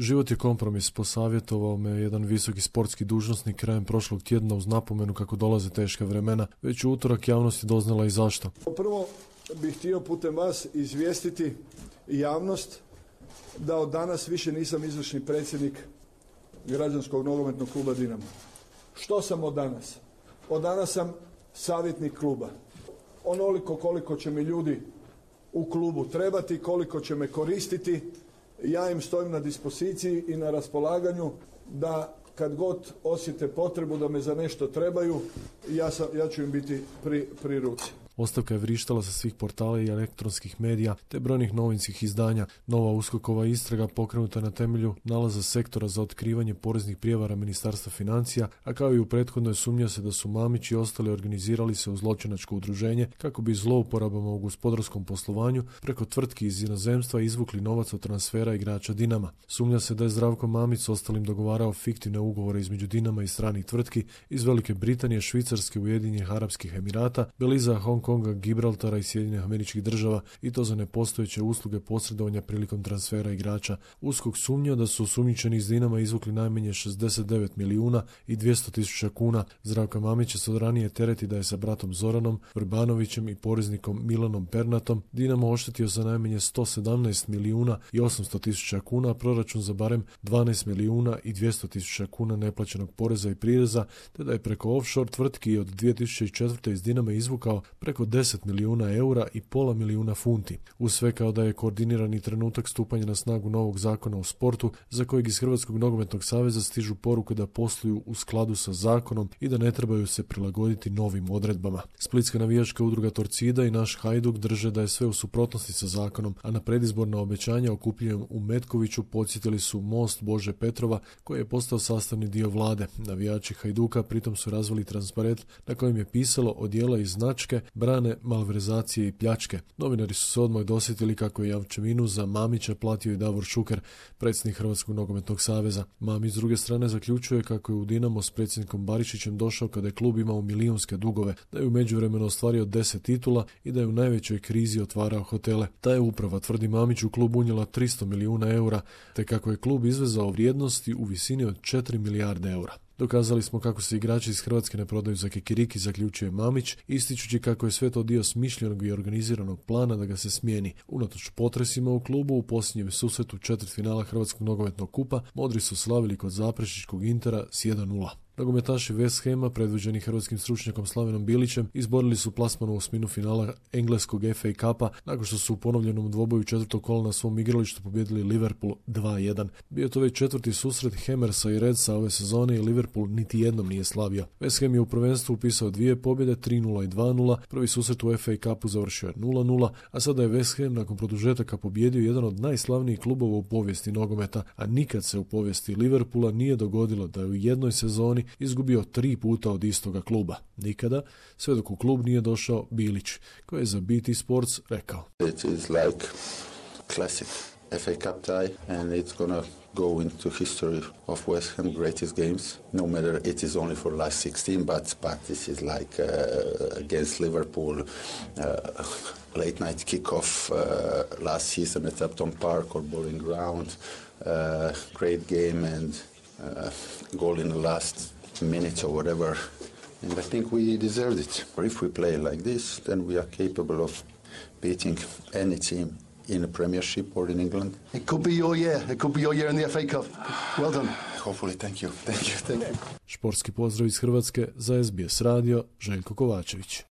Život je kompromis, posavjetovao me jedan visoki sportski dužnosnik krajem prošlog tjedna uz napomenu kako dolaze teška vremena. Već u utorak javnost je doznala i zašto. Prvo bih htio putem vas izvijestiti javnost da od danas više nisam izvršni predsjednik Građanskog nogometnog kluba Dinamo. Što sam od danas? Od danas sam savjetnik kluba. Onoliko koliko će mi ljudi u klubu trebati, koliko će me koristiti, ja im stojim na dispoziciji i na raspolaganju da kad god osjete potrebu da me za nešto trebaju, ja ću im biti pri ruci. Ostavka je vrištala sa svih portala i elektronskih medija te brojnih novinskih izdanja. Nova USKOK-ova istraga pokrenuta na temelju nalaza sektora za otkrivanje poreznih prijevara Ministarstva financija, a kao i u prethodnoj sumnja se da su Mamić i ostali organizirali se u zločinačko udruženje kako bi zlouporabama u gospodarskom poslovanju preko tvrtki iz inozemstva izvukli novac od transfera igrača Dinama. Sumnja se da je Zdravko Mamić s ostalim dogovarao fiktivne ugovore između Dinama i stranih tvrtki iz Velike Britanije, Švicarske, Ujedinjenih Arapskih Emirata, Beliza, Hong Konga, Gibraltara i Sjedinjenih Američkih Država i to za nepostojeće usluge posredovanja prilikom transfera igrača. USKOK sumnja da su osumnjičeni iz Dinama izvukli najmanje 69 milijuna i 200 tisuća kuna. Zdravka Mamića se od ranije tereti da je sa bratom Zoranom Vrbanovićem i poreznikom Milanom Pernatom Dinamo oštetio za najmanje 117 milijuna i 800 tisuća kuna, a proračun za barem 12 milijuna i 200 tisuća kuna neplaćenog poreza i prireza, te da je preko offshore tvrtki od 2004. iz Dinama izvukao preko 10 milijuna eura i pola milijuna funti. Uz sve kao da je koordinirani trenutak stupanja na snagu novog zakona o sportu, za kojeg iz Hrvatskog nogometnog saveza stižu poruke da posluju u skladu sa zakonom i da ne trebaju se prilagoditi novim odredbama. Splitska navijačka udruga Torcida i naš Hajduk drže da je sve u suprotnosti sa zakonom, a na predizborna obećanja okupljenom u Metkoviću podsjetili su Most Bože Petrova, koji je postao sastavni dio vlade. Navijači Hajduka pritom su razvili transparent na kojem je pisalo odijela i značke brane malverzacije i pljačke. Novinari su se odmah dosjetili kako je jamčevinu za Mamića platio i Davor Šuker, predsjednik Hrvatskog nogometnog saveza. Mamić s druge strane zaključuje kako je u Dinamo s predsjednikom Barišićem došao kada je klub imao milijunske dugove, da je u međuvremenu ostvario 10 titula i da je u najvećoj krizi otvarao hotele. Ta je uprava, tvrdi Mamić, u klub unijela 300 milijuna eura, te kako je klub izvezao vrijednosti u visini od 4 milijarde eura. Dokazali smo kako se igrači iz Hrvatske ne prodaju za kikiriki, zaključuje Mamić, ističući kako je sve to dio smišljenog i organiziranog plana da ga se smijeni. Unatoč potresima u klubu, u posljednjem susretu četvrtfinala Hrvatskog nogometnog kupa, modri su slavili kod zaprešičkog Intera s 1:0. Nogometaši West Hama, predvođeni hrvatskim stručnjakom Slavenom Bilićem, izborili su plasman u osminu finala engleskog FA Cupa nakon što su u ponovljenom dvoboju četvrtog kola na svom igralištu pobijedili Liverpool 2:1. Bio je to već četvrti susret Hammersa i Redsa ove sezone i Liverpool niti jednom nije slavio. West Ham je u prvenstvu upisao 2 pobjede, 3:0 i 2:0. Prvi susret u FA Cupu završio je 0:0, a sada je West Ham nakon produžetaka pobjedio jedan od najslavnijih klubova u povijesti nogometa, a nikad se u povijesti Liverpoola nije dogodilo da je u jednoj sezoni izgubio 3 puta od istoga kluba. Nikada, sve dok u klub nije došao Bilić, koji je za BT Sports rekao: It is like classic FA Cup tie and it's gonna go into history of West Ham greatest games, no matter it is only for last 16, but this is like against Liverpool, late night kickoff last season at Upton Park or Bowling Ground, great game and goal in the last minute or whatever, and I think we deserved it. Or if we play like this, then we are capable of beating any team in a Premiership or in England. It could be your year. It could be your year in the FA Cup. Well done. Hopefully, thank you. Športski pozdrav iz Hrvatske za SBS radio, Željko Kovačević.